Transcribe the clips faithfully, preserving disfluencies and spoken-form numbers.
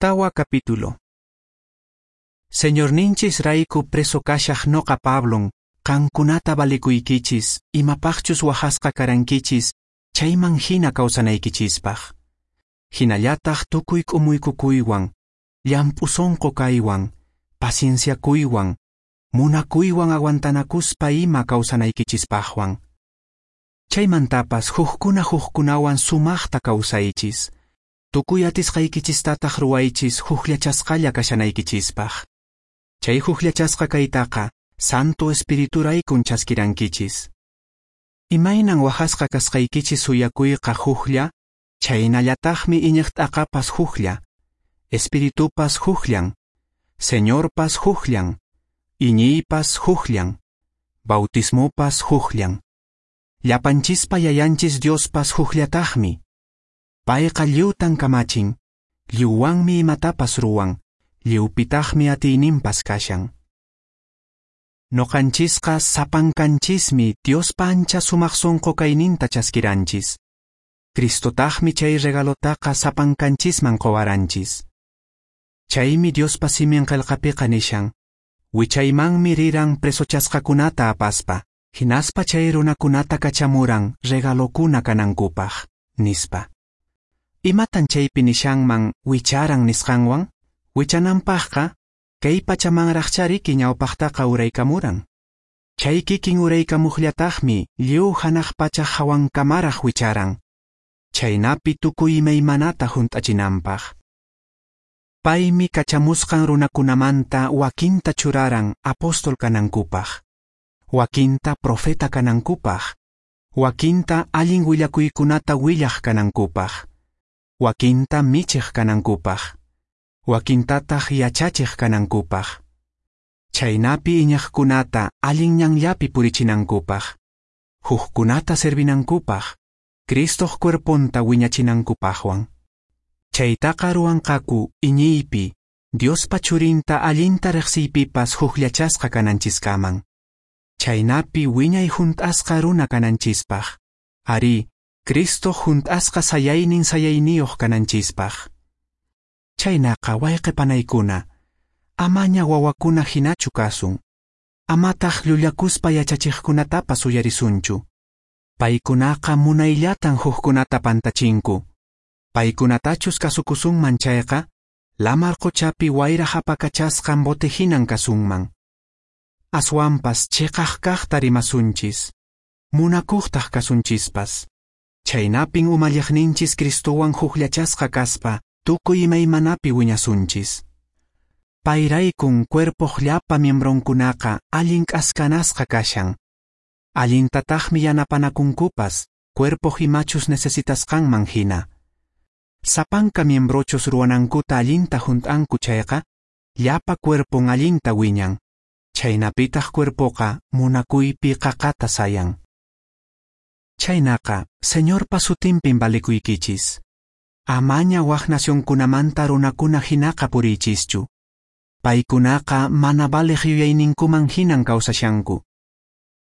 Tawa capítulo. Señorninchis rayku preso kashaq noqa Pablon, qankunata valikuykichis, imapaqchus wahasqa karankichis, chayman hina kawsanaykichispaq. Hinallataq tukuy k'umuykukuywan, llamp'u sonqo kaywan, pacienciakuywan, munakuywan aguantanakuspa ima kawsanaykichispaqwan. Chaymantapas hukkuna hukkunawan sumaqta kawsaychis. Tukuy atisqaykichistataq ruwaychis hukllachasqalla kashanaykichispaq. Chay hukllachasqa kaytaqa Santo Espirituraykun chaskirankichis. Imaynan wahasqa kasqaykichis suyakuyqa huklla, chaynallataqmi iñiq t'aqapas huklla, Espiritupas hukllan, Señorpas hukllan, iñiypas hukllan, bautismopas hukllan. Llapanchispa yayanchis Diospas hukllataqmi. Payqa lliwtan kamachin, lliwwanmi imatapas ruwan, lliwpitaqmi atiyninpas kashan. Noqanchisqa sapankanchismi Diospa ancha sumaq sonqo kayninta chaskiranchis. Cristotaqmi chay regalotaqa sapankanchisman qowaranchis. Chaymi Diospa simin qelqapiqa nishan, wichaymanmi riran presochasqakunata apaspa, hinaspa chay runakunata kachamuran regalokuna kanankupaq, nispa. Imatan chaypi nishanman wicharan nisqanwan? Wichananpaqqa kay pachamanraqchariki ñawpaqtaqa uraykamuran. Chay kikin uraykamuqllataqmi lliw hanaq pacha hawankamaraq wicharan, chaynapi tukuy imaymanata hunt'achinanpaq. Paymi kachamusqan runakunamanta wakinta churaran apóstol kanankupaq, wakinta profeta kanankupaq, wakinta allin willakuykunata willaq kanankupaq, wakinta michiq kanankupaq, wakintataq yachachiq kanankupaq. Chaynapi iñiqkunata allin ñanllapi purichinankupaq, hukkunata servinankupaq, Cristoq cuerponta wiñachinankupaqwan. Chaytaqa ruwanqaku iñiypi, Diospa churinta allinta riqsiypipas hukllachasqa kananchiskaman. Chaynapi wiñay hunt'asqa runa kananchispaq. Arí, Cristo hunt'asqa sayaynin sayayniyuq kananchispaq. Chaynaqa wayqe panaykuna, amaña wawakuna hinachu kasun. Amataq llullakuspa yachachiqkunatapas uyarisunchu. Paykunaqa munayllatan hukkunata pantachinku. Paykunatachus kasukusunman chayqa, lamar qochapi wayra hapakachasqan bote hinan kasunman. Aswanpas chiqaq kaqta rimasunchis, munakuqtaq kasunchispas. Chaynapin umalliqninchis Cristowan hukllachasqa kaspa tukuy imaymanapi wiñasunchis. Payraykun cuerpoq llapa miembronkunaqa allin k'askanasqa kashan. Allintataqmi yanapanakunkupas cuerpoq imachus necesitasqanman hina. Sapanka miembrochus ruwanankuta allinta hunt'anku chayqa, llapa cuerpon allinta wiñan. Chaynapitaq cuerpoqa munakuypi qaqata sayan. Chaynaqa, Señorpa sutinpin valikuykichis. Amaña wak nacionkunamanta runakuna hinaqa puriychischu. Paykunaqa mana valiq yuyayninkuman hinan kawsashanku.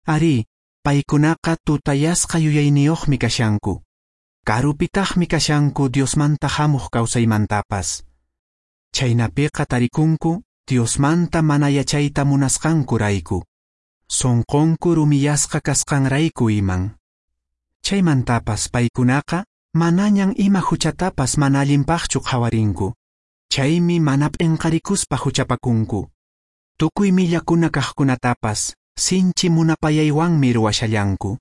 Arí, paykunaqa tutayasqa yuyayniyuqmi kashanku. Karupitaqmi kashanku Diosmanta hamuq kawsaymantapas. Chaynapiqa tarikunku Diosmanta mana yachayta munasqankurayku. Sonqonku rumiyasqa kasqanrayku iman. Chaymantapas paykunaqa manañan ima huchatapas mana allinpaqchu qhawarinku. Chaymi mana p'inqarikuspa huchapakunku. Tukuy millakuna kaqkunatapas sinchi munapayaywanmi ruwashallanku.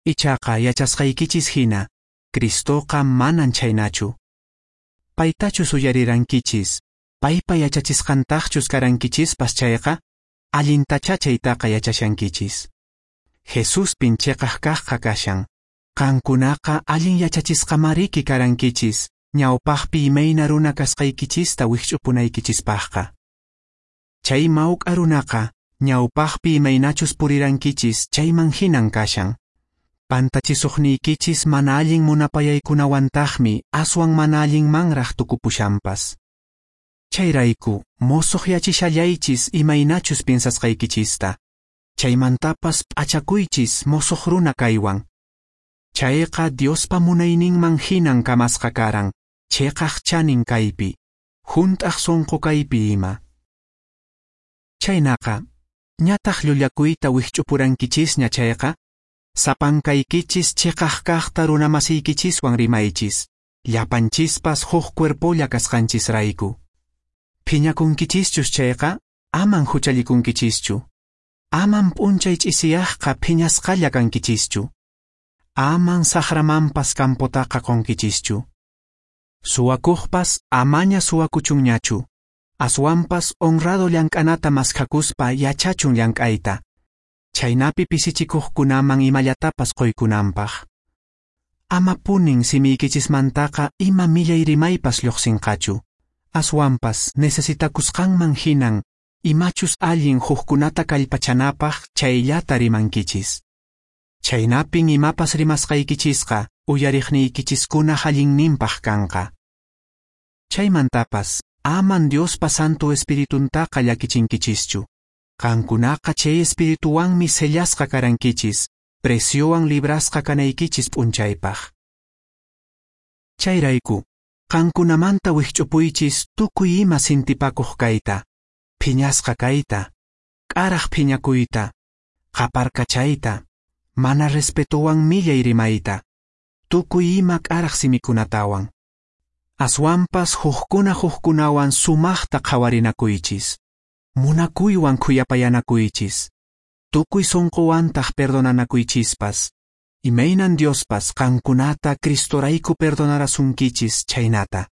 Ichaqa yachasqaykichis hina, Cristoqa manan chhaynachu. Paytachus uyarirankichis, paypa yachachisqantaqchus karankichispas chayqa, allintachá chaytaqa yachashankichis. Jesuspin chiqaq kaqqa kashan. Qankunaqa allin yachachisqamariki karankichis, ñawpaqpi imayna runa kasqaykichista wikch'upunaykichispaqqa. Chay mawk'a runaqa ñawpaqpi imaynachus purirankichis chayman hinan kashan. Pantachisuqniykichis mana allin munapayaykunawantaqmi aswan mana allinmanraq tukupushanpas. Chayrayku mosoqyachishallaychis imaynachus piensasqaykichista. Chaymantapas p'achakuychis mosoq runa kaywan. Chayqa Diospa munayninman hinan kamasqa karan, cheqaq chanin kaypi, hunt'aq sonqo kaypi ima. Chhaynaqa, ñataq llullakuyta wikch'upurankichisña chayqa, sapankaykichis cheqaq kaqta runamasiykichiswan rimaychis, llapanchispas huk cuerpolla kasqanchisrayku. Phiñakunkichischus chayqa, aman huchallikunkichischu. Aman p'unchay ch'isiyaqqa phiñasqalla kankichischu. Aman saqramanpas campotaqa qonkichischu. Suwakuqpas amaña suwakuchunñachu. Aswanpas honrado llank'anata maskhakuspa yachachun llank'ayta. Chhaynapi pisichikuqkunaman imallatapas qoykunanpaq. Amapunin simiykichismantaqa ima millay rimaypas lluqsinqachu. Aswanpas necesitakusqanman hinan imachus allin hukkunata kallpachanapaq chayllata rimankichis. Chhaynapin imapas rimasqaykichisqa uyariqniykichiskuna allinninpaq kanqa. Chaymantapas aman Diospa Santo Espirituntaqa llakichinkichischu. Qankunaqa chay espirituwanmi sellasqa karankichis, preciowan librasqa kanaykichis p'unchaypaq. Chayrayku, qankunamanta wikch'upuychis tukuy ima sintipakuq kayta, phiñasqa kayta, k'araq phiñakuyta, qaparkachayta, mana respetowan millay rimayta, tukuy ima k'araq simikunatawan. Aswanpas hukkuna hukkunawan sumaqta qhawarinakuychis, munakuywan khuyapayanakuychis, tukuy sunquwantaq perdonanakuychispas, imaynan Diospas qankunata Cristorayku perdonarasunkichis chhaynata.